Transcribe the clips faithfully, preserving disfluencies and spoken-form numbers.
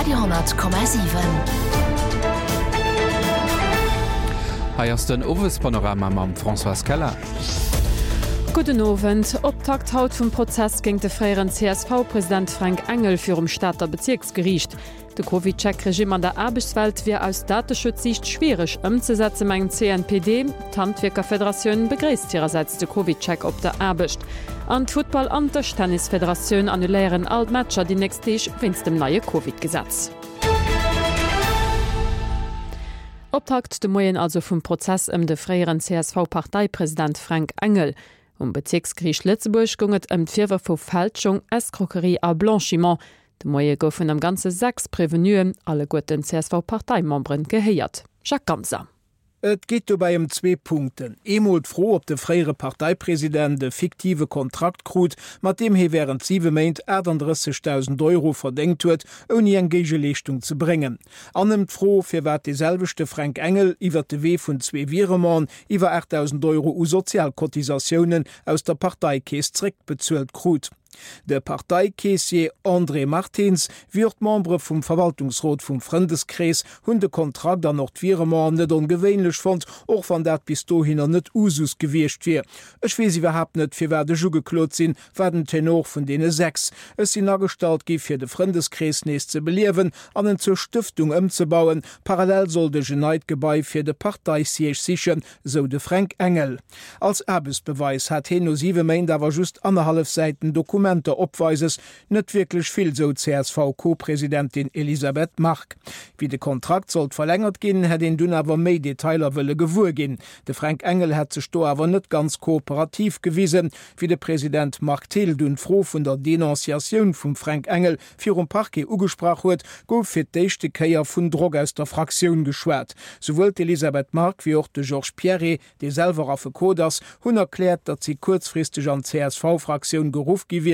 Radio honnert Komma siwen. Hei ass den Owespanorama mam Françoise Keller. Gudden Owend. Optakt haut vum Prozess géint de fréieren C S V-President Fränk Engel virum Stater Bezierksgeriicht. De CovidCheck-Regimm an der Aarbechtswelt wier aus Dateschutzsiicht schwiereg ëmzesetzen, mengt d'C N P D. D'Handwierkerfederatioun begréisst hirersäits de CovidCheck op der Aarbecht. An d'Futtball an d'Dëschtennisfederatioun annuléieren all d'Matcher déi nächst Deeg wéinst dem neie Covid-Gesetz. Optakt de Moien also vum Prozess ëm de fréieren C S V-Parteipresident Fränk Engel. Um Bezierksgeriicht Lëtzebuerg goung et ëm d'Virwërf vu Fälschung, Escroquerie a Blanchiment. De Moie goufen am Ganze sechs Prevenuen, alleguerten C S V-Parteimemberen, gehéiert. Jacques Ganser. Et geet dobäi ëm zwee Punkten. Eemol d'Fro, ob de fréiere Parteipresident e fiktive Kontrakt krut, mat deem hie wärend siwe Méint achtandrëssegdausend Euro verdéngt huet, ouni eng Géigeleeschtung ze bréngen. An ëm d'Fro, firwat dee selwechte Fränk Engel iwwer de Wee vun zwee Virementen iwwer aachtdausend Euro u Sozialcotisatiounen aus der Parteikeess zréckbezuelt krut. De Parteikeessier André Martins wéi och d'Membere vum Verwaltungsrot vum Frëndeskrees hunn de Kontrakt an och d'Virementen net ongewéinlech fonnt, och wann dat bis dohinner net Usus gewiescht wier. Ech weess iwwerhaapt net, firwat ech ugeklot sinn, war den Tenor vun deene sechs. Ech sinn agestallt gi fir de Frëndeskrees nees ze beliewen an en zur Stëftung ëmzebauen. Parallel sollt ech en neit Gebai fir de Parteisiège sichen, sou de Fränk Engel. Als Aarbechtsbeweis hat hien no siwe Méint awer just annerhallef Säiten Dokumenter opweises, net wierklech vill, sou d'C S V-Co-Presidentin Elisabeth Margue. Wéi de Kontrakt sollt verlängert ginn, hätt een dunn awer méi Detailer wëlle gewuer ginn. De Fränk Engel hätt sech do awer net ganz kooperativ gewisen. Wéi de President Marc Thill dunn d'Fro vun der Denonciatioun vum Fränk Engel virum Parquet ugesprach huet, gouf fir d'éischte Kéier vun Drock aus der Fraktioun geschwat. Souwuel d'Elisabeth Margue wéi och de Georges Pierret, dee selwer Affekot ass, hunn erkläert, datt si kuerzfristeg an d'C S V-Fraktioun geruff gi wieren.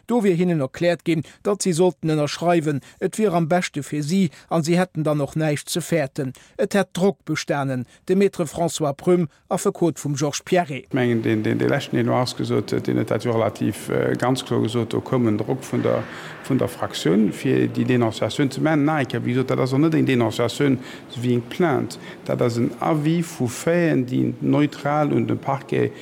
Do wier hinnen erkläert ginn, datt si sollten ënnerschreiwen, et wier am beschte fir si an si hätten dann och näischt ze fäerten. Et hätt Drock bestanen. De Maître François Prüm, Affekot vum Georges Pierret. Ech mengen, deen deen dee leschten, deen do ausgesot huet, deen huet dat jo relativ ganz kloer gesot, do koum en Drock vun der vun der Fraktioun, fir déi Denonciatioun ze maachen. Nach eng Kéier, wéi gesot, dat ass och net eng Denonciatioun esou wéi eng Plainte, dat ass en Avis vu Faiten, déi neutral un de Parquet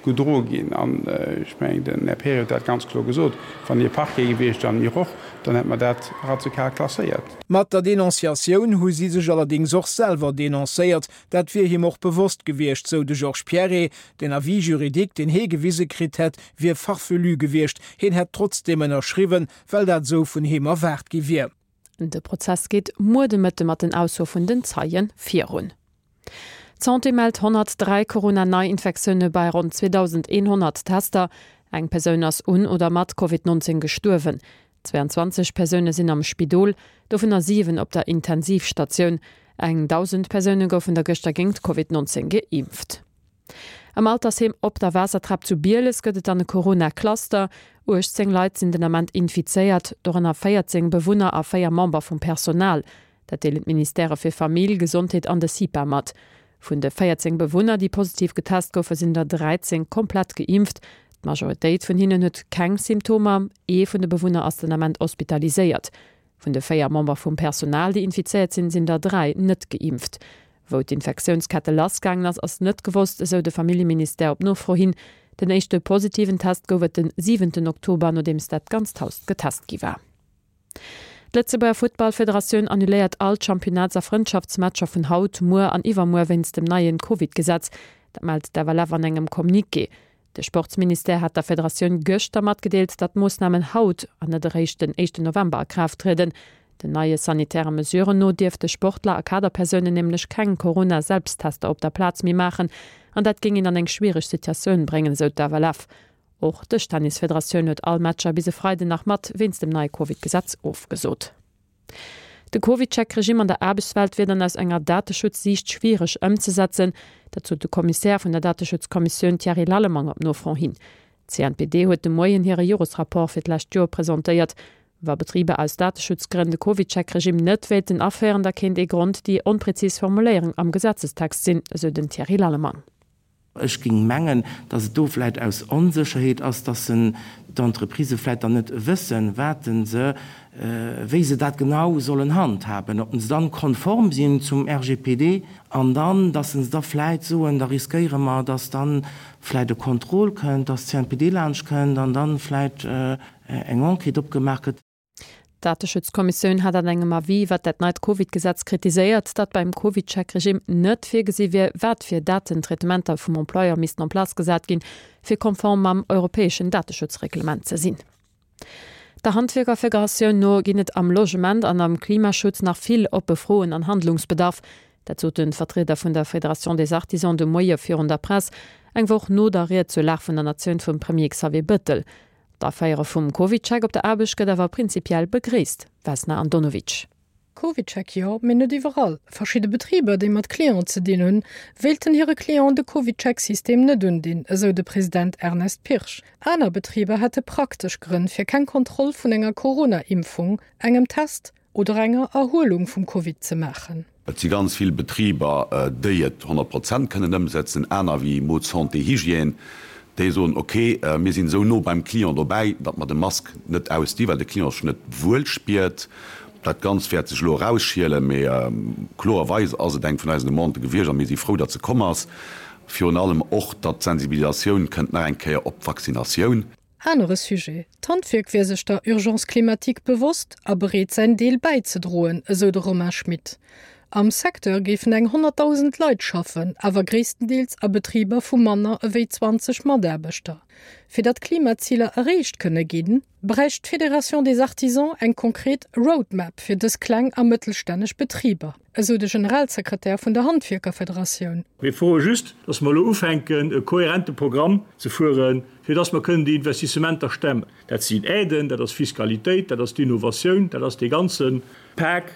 gedroe ginn. An ech mengen, den Här Pierret huet dat ganz kloer gesot, wann hie Parquet gewiescht an mir och, dann hätte mer dat radikal klasséiert. Mat der Denonciatioun hu si sech allerdéngs och selwer denoncéiert. Dat wier him och bewosst gewiescht, sou de Georges Pierret. Den Avis juridique, deen hie gewise kritt hätt, wier farfelu gewiescht. Hien hätt trotzdeem ënnerschriwwen, well dat esou vun him erwaart gi wier. De Prozess geet muer de Mëtte mat den Aussoe vun den Zeie virun. D'Santé mellt honnertdräi Corona-Neiinfektioune bei ronn zweedausendeenhonnert Tester. Eng Persoun ass un oder mat Covid neunzéng gestuerwen. Zwéianzwanzeg Persoune sinn am Spidol, dovunner siwen op der Intensivstatioun. Eng dausend Persoune goufen der gëschter géint Covid neunzéng geimpft. Am Altersheem Op der Waassertrap zu Bieles gëtt et dann e Corona-Cluster. uechtzéng Leit sinn den Ament infizéiert, dorënner véierzéng Bewunner a véier Member vum Personal. Dat deelen d'Ministèrë fir Famill, Gesondheet an de CIPA mat. Vun de véierzéng Bewunner, déi positiv getest goufen, sinn der dräizéng komplett geimpft. D'Majoritéit vun hinnen huet keng Symptomer. Ee vun de Bewunner ass den Ament hospitaliséiert. Vun de véier Member vum Personal, déi infizéiert sinn, sinn der dräi net geimpft. Wou d'Infektiounskette lassgaangen ass, ass net gewosst, esou de Familljeministère op Nofro hin. Den éischte positiven Test gouf et den siwenten Oktober, nodeems dat ganzt Haus getest gi war. D'Lëtzebuerger Futtballfederatioun annuléiert all d'Championnats a Frëndschaftsmatcher vun haut, muer an iwwermuer wéinst dem neien Covid-Gesetz. Dat mellt d'F L F an engem Communiqué. De Sportsministère hat der Federatioun gëschter matgedeelt, datt d'Moossnamen haut an net eréischt den éischten November a Kraaft trieden. Den neie sanitäre Mesuren no dierfte Sportler a Kaderpersounen nämlech keng Corona-Selbsttester op der Plaz méi maachen an dat géing een an eng schwiereg Situatioun bréngen, sou d'F L F. Och d'Dëschtennisfederatioun huet all Matcher bis e Freiden nach mat wéinst dem neie Covid-Gesetz ofgesot. De CovidCheck-Regimm an der Aarbechtswelt wier dann aus enger Dateschutzsiicht schwiereg ëmzesetzen, dat sot de Kommissär vun der Dateschutzkommissioun Thierry Lallemang op Nofro hin. D'C N P D huet de Moien hire Joresrapport fir d'lescht Joer presentéiert. Wa Betriber aus Dateschutzgrënn de CovidCheck-Regimm net wéilten aféieren, da kéint ee Grond déi onprezis Formuléierung am Gesetzestext sinn, esou den Thierry Lallemang. Ech géing mengen, datt et do vläicht aus Onsécherheet ass, datt se d'Entreprisë vläicht dann net wëssen, wat se, wéi se dat genau sollen handhaben, ob se dann konform sinn zum R G P D an dann, dass se da vläicht soen, da riskéiere mer, dass dann vläicht e Contrôle kënnt, dass d'C N P D laanscht kënnt an dann vläicht eng Enquête opgemaach gëtt. D'Dateschutzkommissioun hat an engem Avis iwwer dat neit Covid-Gesetz kritiséiert, datt beim CovidCheck-Regime net virgesi wier, wat fir Datentraitementer vum Employeur missten en place gesat ginn, fir konform mam europäeschen Dateschutzreglement ze sinn. Der Handwierkerfederatioun no ginn et am Logement an am Klimaschutz nach vill oppe Froen an Handlungsbedarf. Dat sot de Vertrieder vun der Fédération des Artisans de Moie virun der Press, eng Woch no der Ried zur Lag vun der Natioun vum Premier Xavier Bettel. D'Aféiere vum CovidCheck op der Aarbecht gëtt awer prinzipiell begréisst, Vesna Andonovic. CovidCheck jo, mee net iwwerall. Verschidde Betriber, déi mat Clienten ze dinn hunn, wéilten hire Clienten de CovidCheck-System net undinn, esou de President Ernest Pirsch. Aner Betriber hätte praktesch Grënn fir keng Kontroll vun enger Corona-Impfung, engem Test oder enger Erhuelung vum Covid ze maachen. Et si ganz vill Betriber, déi et honnert Prozent kënnen ëmsetzen, aner wéi Mode Santé Hygiène, déi soen, okay, mir sinn esou no beim Client dobäi, datt mer de Mask net ausdi, well de Client sech net wuel spiert. Dat Ganzt wäert sech elo erausschielen, mee kloerweis ass et eng vun eisen Demandë gewiescht a mir si frou, datt se komm ass. Virun allem och, datt d'Sensibilisatioun kënnt nach eng Kéier op d'Vaccinatioun. Anere Sujet, D'Handwierk wier sech der Urgence climatique bewosst a bereet säin Deel bäizedroen, esou de Romain Schmit. Am Secteur géifen eng honnertdausend Leit schaffen, awer gréisstendeels a Betriber vu manner ewéi zwanzeg Mataarbechter. Fir datt d'Klimaziler erreecht kënne ginn, bräicht d'Fédération des Artisans eng konkret Roadmap fir dës kleng a mëttelstänneg Betriber, esou de Generalsekretär vun der Handwierkerfederatioun. Mir froe just, datt mer elo ufänken, e kohärente Programm ze fueren, fir datt mer kënnen déi Investissementer stemmen. Dat sinn Aiden, dat ass Fiskalitéit, dat ass d'Innovatioun, dat ass dee ganze Pak,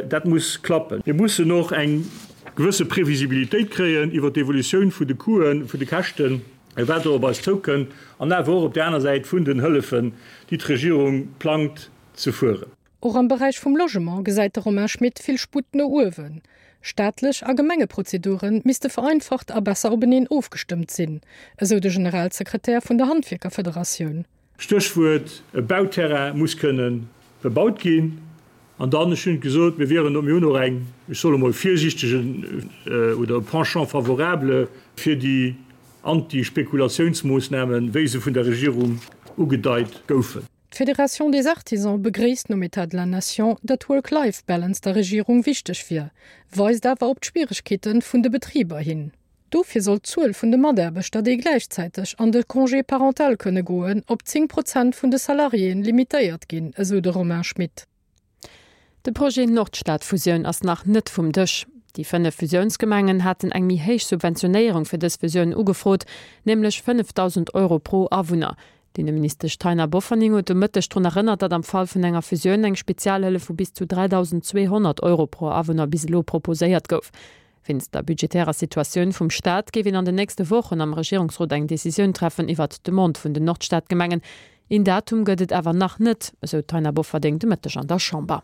dat muss klappen. Mir mussen och eng gewësse Previsibilitéit kréien iwwer d'Evolutioun vun de Coûten, vun de Käschten, wat do op eis zoukënnt, an awer och op der aner Säit vun den Hëllefen, déi d'Regierung plangt ze fueren. Och am Beräich vum Logement gesäit de Romain Schmit vill Sputt no uewen. Staatlech a Gemengeprozedure misste vereinfacht a besser openeen ofgestëmmt sinn, esou de Generalsekretär vun der Handwierkerfederatioun. Stéchwuert, e Bauterrain muss kënnen bebaut ginn. An dann, ech hunn gesot, mir wieren, mir hunn och eng, ech soll emol virsiichtegen oder e Penchant favorable fir déi Antispekulatiounsmoossnamen, wéi se vun der Regierung ugedeit goufen. D'Fédération des Artisans begréisst nom État de la Nation, datt Work-Life-Balance der Regierung wichteg wier, weist awer op d'Schwieregkeete vun de Betriber hin. Dofir soll d'Zuel vun de Mataarbechter, déi gläichzäiteg an de Congé parental kënne goen, op zéng Prozent vun de Salariéen limitéiert ginn, esou de Romain Schmit. De Projet Nordstad-Fusioun ass nach net vum Dësch. Déi fënnef Fusiounsgemengen haten eng méi héich Subventionéierung fir dës Fusioun ugefrot, nämlech fënnefdausend Euro pro Awunner. D'Inneministesch Taina Bofferding huet de Mëtteg drun erënnert, datt am Fall vun enger Fusioun eng Spezialhëllef vu bis zu dräidausendzweehonnert Euro pro Awunner bis elo proposéiert gouf. Wéinst der budgetärer Situatioun vum Staat géif een an den nächste Wochen am Regierungsrot eng Decisioun treffen iwwer d'Demande vun den Nordstadgemengen. Een Datum gëtt et awer nach net, esou d'Taina Bofferding de Mëtteg an der Chamber.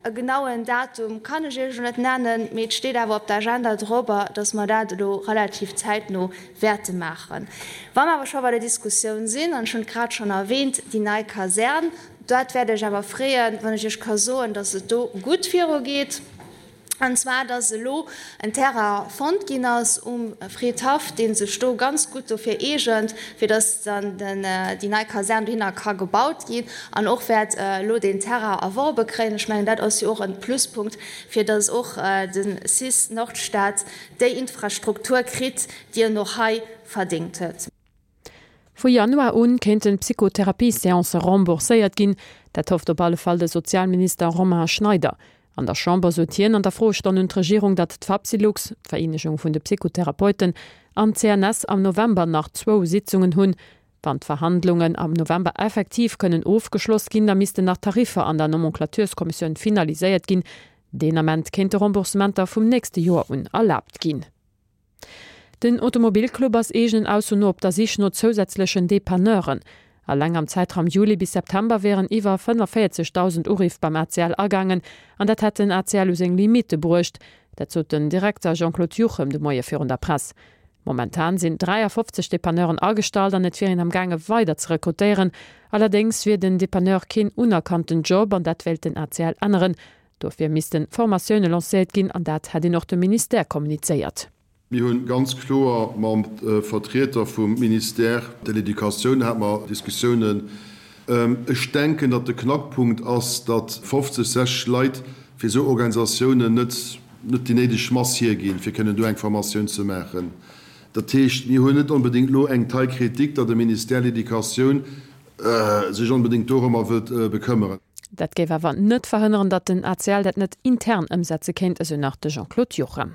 E genauen Datum kann ech Iech elo net nennen, mee et steet awer op der Agenda drobber, dass mer dat elo relativ zäitno wäerte maachen. Wa mer awer scho bei der Diskussioun sinn, an ech hunn et grad schonn erwähnt, déi nei Kasern, dat wäert ech awer freeën, wann ech Iech ka soen, dass et do gutt virugeet. An zwar, dass elo en Terrain fonnt ginn ass um Friedhaff, dee sech do ganz gutt dofir eegent, fir dass dann den, déi nei Kasern dohinner ka gebaut ginn an och wäert elo den Terrain erworbe kréien. Ech mengen, dat ass jo och en Pluspunkt, fir dass och den C I S Nordstad déi Infrastruktur kritt, déi en och hei verdéngt huet. Vu Januar un kéinten Psychotherapie-Seancë rembourséiert ginn. Dat hofft op alle Fall de Sozialminister Romain Schneider. An der Chamber sot hien an der Froestonn un d'Regierung, datt d'Fapsylux, d'Vereenegung vun de Psychotherapeuten, an d'C N S am November nach zwou Sitzungen hunn. Wann d'Verhandlungen am November effektiv kënnen ofgeschloss ginn, da missten nach Tariffer an der Nomenclaturskommissioun finaliséiert ginn. Deen Ament kéinte Remboursementer vum nächste Joer un erlaabt ginn. Den Automobilclub ass eegenen Ausso no op der Sich no zousätzlechen Depanneuren. Alleng am Zeitraum Juli bis September wären iwwer fënneféierzegdausend Uriff beim A C L agaangen an dat hätt den A C L u seng Limite bruecht. Dat sot den Direkter Jean-Claude Juchem de Moie virun der Press. Momentan sinn dräiafofzeg Depanneuren agestallt an et wier een am gaange weider ze rekrutéieren. Allerdéngs wier den Depanneur keen unerkannten Job an dat wéilt den A C L änneren. Dofir misste Formatioune lancéiert ginn an dat hätt een och dem Ministère kommunizéiert. Mir hu ganz kloer mam Vertrieter vum Ministère de l'Éducatioun hate mer Diskussiounen. Ech denken, datt de Knackpunkt ass, datt fofzeg, sechzeg Leit fir esou Organisatiounen net déi néideg Mass hierginn, fir kënnen do eng Formatioun ze maachen. Dat heescht, mir hunn net onbedéngt elo eng Taille critique, datt de Ministère de l'Éducatioun sech onbedéngt dorëmmer wëllt bekëmmeren. Dat géif awer net verhënneren, datt den A C L dat net intern ëmsetze kéint, esou nach de Jean-Claude Juchem.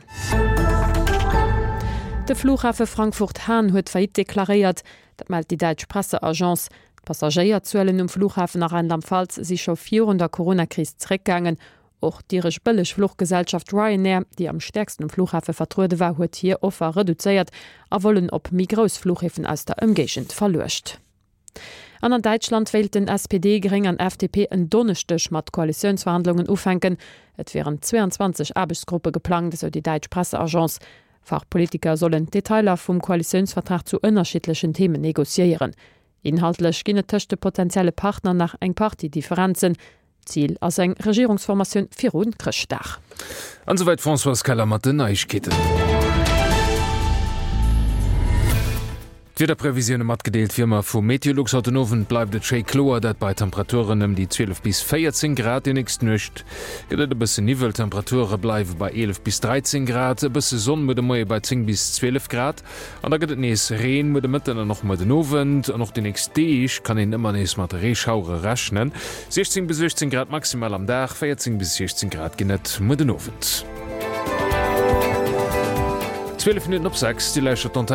De Flughafe Frankfurt-Hahn huet Faillite deklaréiert. Dat mellt déi däitsch Presseagence. D'Passagéierzuelen um Flughafen a Rheinland-Pfalz si scho virun der Coronakris zeréckgaangen. Och d'iresch Bëllegfluchgesellschaft Ryanair, déi am stäerksten um Flughafe vertruede war, huet hir Offer reduzéiert a Vollen op méi grouss Flughäfen aus der Ëmgéigend verluecht. An an Däitschland wéilten S P D, Gréng an F D P en Donneschdeg mat Koalitiounsverhandlungen ufänken. Et wieren zwéianzwanzeg Aarbechtsgruppe geplangt, esou déi däitsch Presseagence. Fachpolitiker sollen d'Detailer vum Koalitiounsvertrag zu ënnerschiddlechen Themen negociéieren. Inhaltlech ginn et tëscht de potentielle Partner nach eng Partie Differenzen. Zil ass eng Regierungsformatioun viru Chrëschtdag. An esouwäit d'Françoise Keller mat den Neiegkeeten. D'Wiederprevisioune matgedeelt wéi ëmmer vu Meteolux. Haut den Owend bleift et schéi kloer, dat bei Temperaturen ëm déi zwielef bis véierzéng Grad. Déi nächst Nuecht gëtt et e bësse Niwwel, d'Temperature bleiwe bei eelef bis dräizéng Grad. E bësse Sonn muer de Moie bei zéng bis zwielef Grad an da gëtt et nees Reen muer de Mëtten an och muer den Owend. An och déi nächst Deeg kann een ëmmer nees mat Reeschauere rechnen. siechzéng bis uechtzéng Grad maximal am Dag, véierzéng bis siechzéng Grad ginn et muer den Owend. Zwielef Minutten op sechs, Dir lauschtert d'Antenn.